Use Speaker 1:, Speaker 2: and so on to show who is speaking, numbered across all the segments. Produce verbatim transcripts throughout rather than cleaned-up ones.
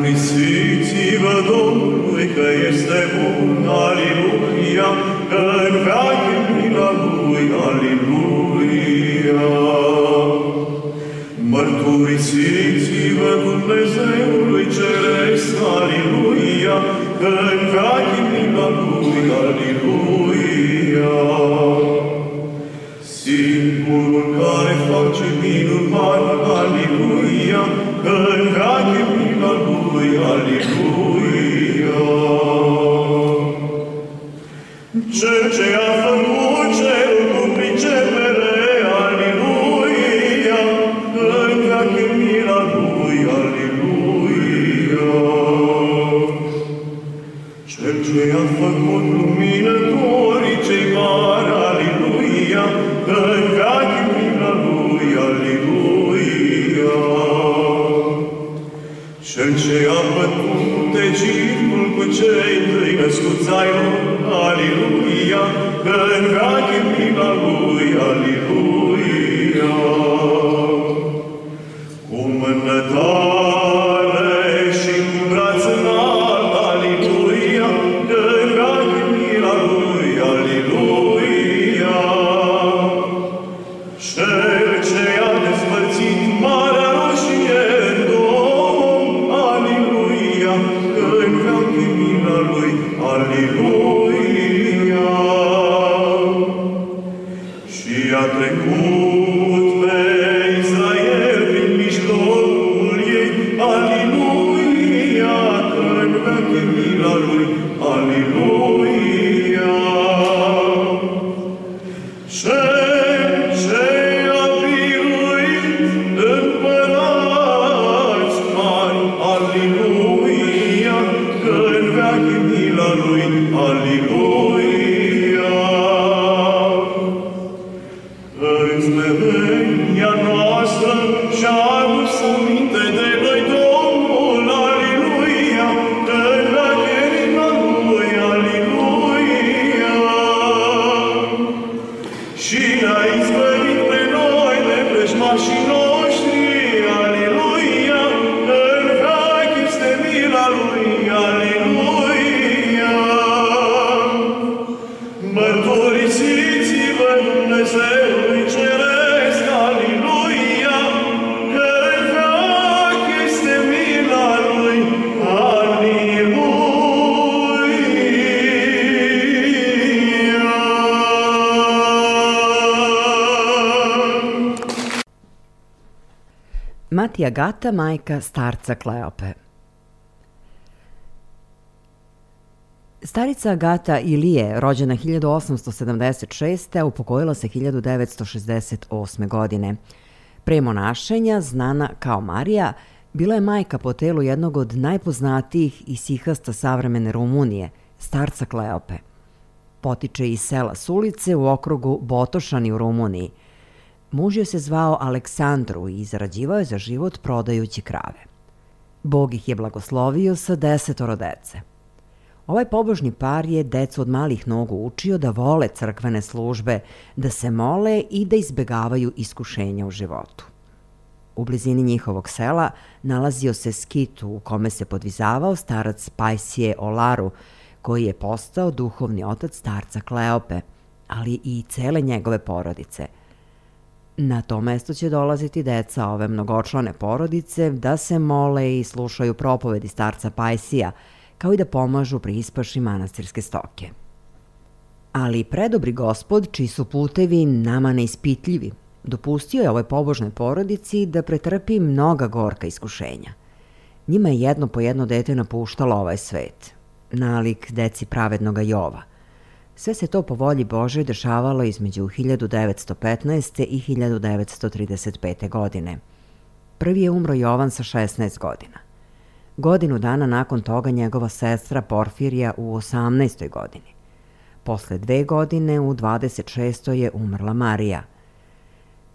Speaker 1: Mărturisiți-vă Domnului că este bun, aleluia, că în veac e mila Lui, aleluia. Mărturisiți-vă Dumnezeului Ceresc, aleluia, că în veac e mila Lui, aleluia. Singurul care face minuni mari, aleluia, că în veac e mila Lui, aleluia. Cel ce a făcut cerul cu pricepere, aleluia, că în veac e mila Lui, aleluia. Cel ce a făcut luminătorii cei mari, aleluia, că în veac e mila Lui, aleluia. Cel ce a bătut Egiptul cu cei trei născuți ai lor, aleluia, că în veac e mila Lui, aleluia. Cu mână tare și cu braț înalt, aleluia, că în veac e mila Lui, aleluia. Cel ce a despărțit Marea Roșie în două, aleluia, că în veac e mila Lui, aleluia. Și a trecut pe Israel prin mijlocul ei, aleluia, că în veac e mila Lui, aleluia. Cel ce a biruit împărați mari, aleluia, că în veac e mila Lui, aleluia. În smerenia noastră și-a adus aminte de noi Domnul, aleluia, că în veac e mila Lui, aleluia. Și ne-a izbăvit pe noi de vrăjmașii noștri, aleluia, că în veac este mila Lui, aleluia. Mărturisiți-vă Dumnezeului Ceresc, aleluia, că în veac este mila Lui, aleluia.
Speaker 2: Matija Gata, majka starca Kleope. Starica Agata Ilije, rođena hiljadu osamsto sedamdeset šeste. upokojila se hiljadu devetsto šezdeset osme. godine. Pre monašenja, znana kao Marija, bila je majka po telu jednog od najpoznatijih isihasta savremene Rumunije, starca Kleope. Potiče iz sela Sulice u okrugu Botošani u Rumuniji. Muž joj se zvao Aleksandru i zarađivao je za život prodajući krave. Bog ih je blagoslovio sa desetoro dece. Ovaj pobožni par je decu od malih nogu učio da vole crkvene službe, da se mole i da izbegavaju iskušenja u životu. U blizini njihovog sela nalazio se skit u kome se podvizavao starac Pajsije Olaru, koji je postao duhovni otac starca Kleope, ali i cele njegove porodice. Na to mesto će dolaziti deca ove mnogočlane porodice da se mole i slušaju propovedi starca Pajsija, kao i da pomažu pri ispaši manastirske stoke. Ali predobri Gospod, čiji su putevi nama neispitljivi, dopustio je ovoj pobožnoj porodici da pretrpi mnoga gorka iskušenja. Njima je jedno po jedno dete napuštalo ovaj svet, nalik deci pravednoga Jova. Sve se to po volji Božoj dešavalo između hiljadu devetsto petnaeste. i hiljadu devetsto trideset pete. godine. Prvi je umro Jovan sa šesnaest godina. Godinu dana nakon toga njegova sestra Porfirija u osamnaestoj godini. Posle dve godine, u dvadeset šestoj. je umrla Marija.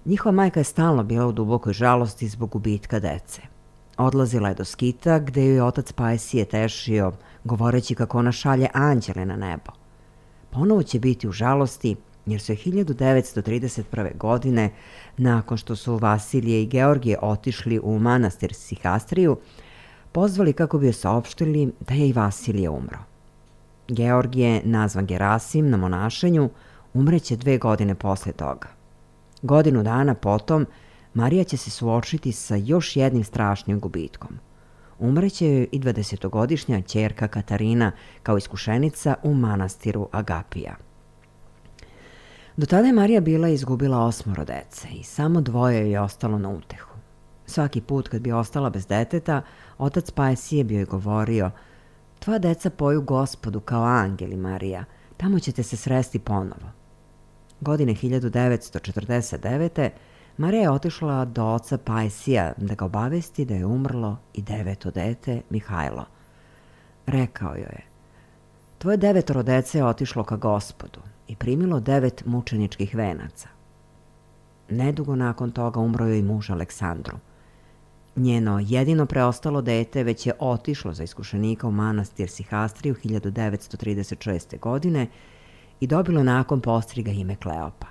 Speaker 2: Njihova majka je stalno bila u dubokoj žalosti zbog gubitka dece. Odlazila je do skita gde joj je otac Pajsije tešio, govoreći kako ona šalje anđele na nebo. Ponovo će biti u žalosti jer su je hiljadu devetsto trideset prve. godine, nakon što su Vasilije i Georgije otišli u manastir Sihastriju, pozvali kako bi joj saopštili da je i Vasilije umro. Georgije, nazvan Gerasim na monašenju, umreće dve godine posle toga. Godinu dana potom, Marija će se suočiti sa još jednim strašnim gubitkom. Umreće joj i dvadesetogodišnja ćerka Katarina kao iskušenica u manastiru Agapija. Do tada je Marija bila izgubila osmoro dece i samo dvoje joj je ostalo na utehu. Svaki put kad bi ostala bez deteta, otac Pajsije bi joj govorio: "Tvoja deca poju Gospodu kao angeli, Marija, tamo ćete se sresti ponovo." Godine hiljadu devetsto četrdeset devete. Marija je otišla do oca Pajsija da ga obavesti da je umrlo i deveto dete, Mihajlo. Rekao joj je: "Tvoje devetoro dece je otišlo ka Gospodu i primilo devet mučeničkih venaca." Nedugo nakon toga umro joj i muž Aleksandru. Njeno jedino preostalo dete već je otišlo za iskušenika u manastir Sihastriju hiljadu devetsto trideset šeste. godine i dobilo nakon postriga ime Kleopa.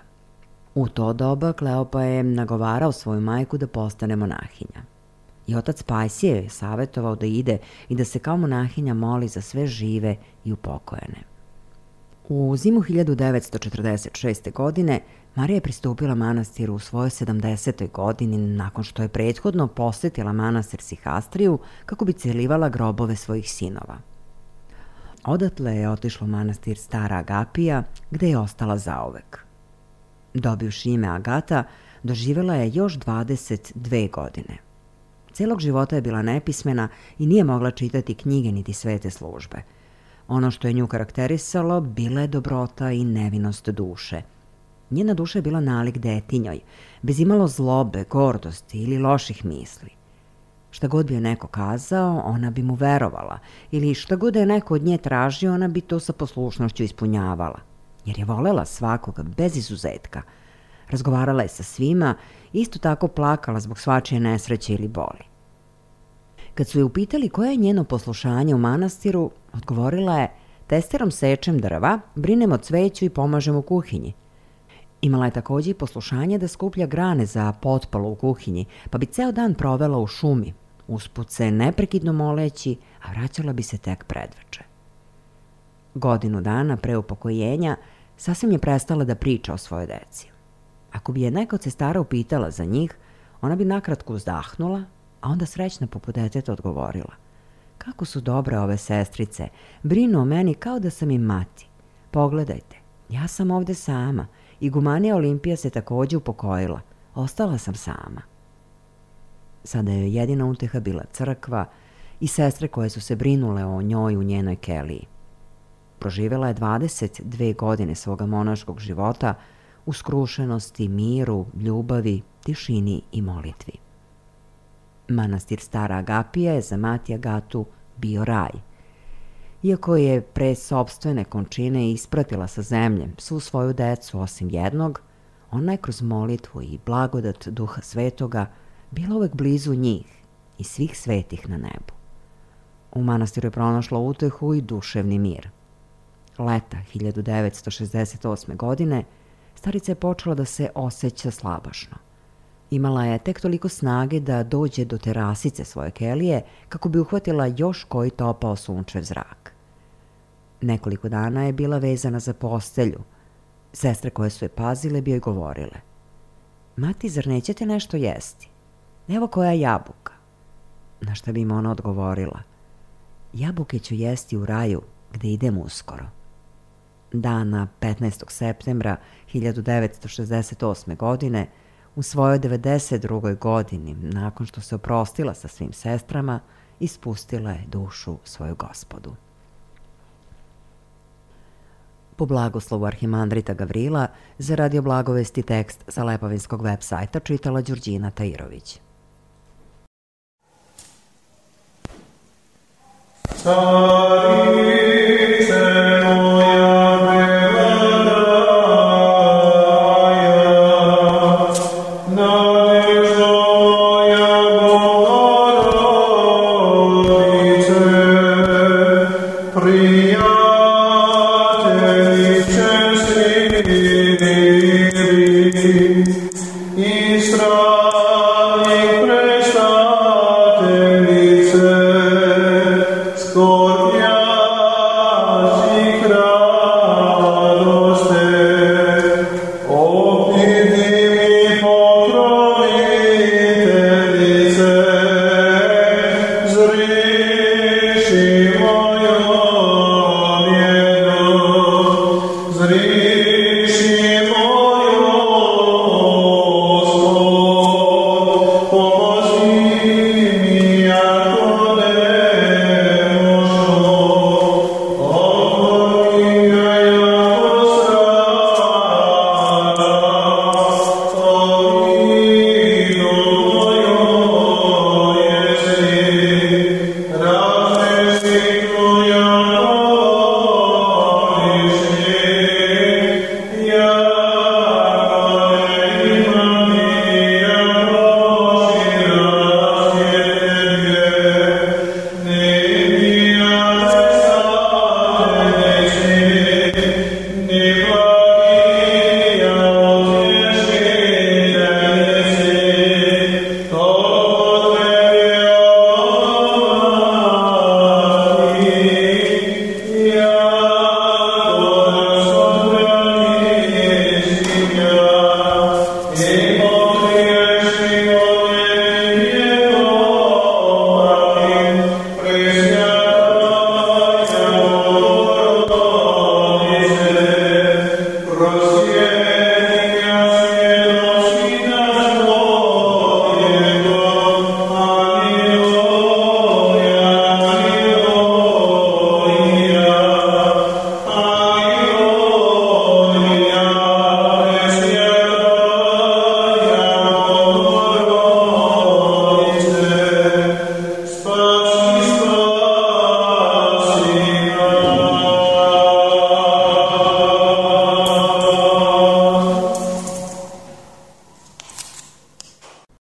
Speaker 2: U to doba Kleopa je nagovarao svoju majku da postane monahinja. I otac Pajsije je savjetovao da ide i da se kao monahinja moli za sve žive i upokojene. U zimu hiljadu devetsto četrdeset šeste. godine Marija je pristupila manastiru u svojoj sedamdesetoj. godini nakon što je prethodno posjetila manastir Sihastriju kako bi celivala grobove svojih sinova. Odatle je otišla u manastir Stara Agapija, gde je ostala zauvek. Dobivši ime Agata, doživjela je još dvadeset dve godine. Celog života je bila nepismena i nije mogla čitati knjige niti svete službe. Ono što je nju karakterisalo bila je dobrota i nevinost duše. Njena duša je bila nalik detinjoj, bez imalo zlobe, gordosti ili loših misli. Šta god bi joj neko kazao, ona bi mu verovala, ili šta god je neko od nje tražio, ona bi to sa poslušnošću ispunjavala, jer je volela svakoga bez izuzetka. Razgovarala je sa svima, isto tako plakala zbog svačije nesreće ili boli. Kad su je upitali koje je njeno poslušanje u manastiru, odgovorila je: "Testerom sečem drva, brinem o cveću i pomažem u kuhinji." Imala je također i poslušanje da skuplja grane za potpalu u kuhinji, pa bi ceo dan provela u šumi, usput se neprekidno moleći, a vraćala bi se tek predveče. Godinu dana pre upokojenja sasvim je prestala da priča o svojoj deci. Ako bi je neka od sestara upitala za njih, ona bi nakratko uzdahnula, a onda srećna poput deteta odgovorila: "Kako su dobre ove sestrice, brinu o meni kao da sam im mati. Pogledajte, ja sam ovde sama, igumanija Olimpija se također upokojila, ostala sam sama." Sada je jedina uteha bila crkva i sestre koje su se brinule o njoj u njenoj keliji. Proživjela je dvadeset dve godine svoga monaškog života u skrušenosti, miru, ljubavi, tišini i molitvi. Manastir Stara Agapija je za mati Agatu bio raj. Iako je pre sopstvene končine ispratila sa zemlje svu svoju decu osim jednog, ona je kroz molitvu i blagodat Duha Svetoga bila uvek blizu njih i svih svetih na nebu. U manastiru je pronašla utehu i duševni mir. Leta hiljadu devetsto šezdeset osme. godine starica je počela da se osjeća slabašno. Imala je tek toliko snage da dođe do terasice svoje kelije kako bi uhvatila još koji topao sunčev zrak. Nekoliko dana je bila vezana za postelju. Sestre koje su je pazile bi joj govorile: "Mati, zar nećete nešto jesti? Evo koja jabuka." Na šta bi im ona odgovorila: "Jabuke ću jesti u raju gde idem uskoro." Dana petnaestog septembra hiljadu devetsto šezdeset osme. godine, u svojoj devedeset drugoj. godini, nakon što se oprostila sa svim sestrama, ispustila je dušu svoju Gospodu. Po blagoslovu arhimandrita Gavrila, za Radio Blagovesti tekst sa Lepovinskog web sajta čitala Đurđina Tajirović.
Speaker 1: Stari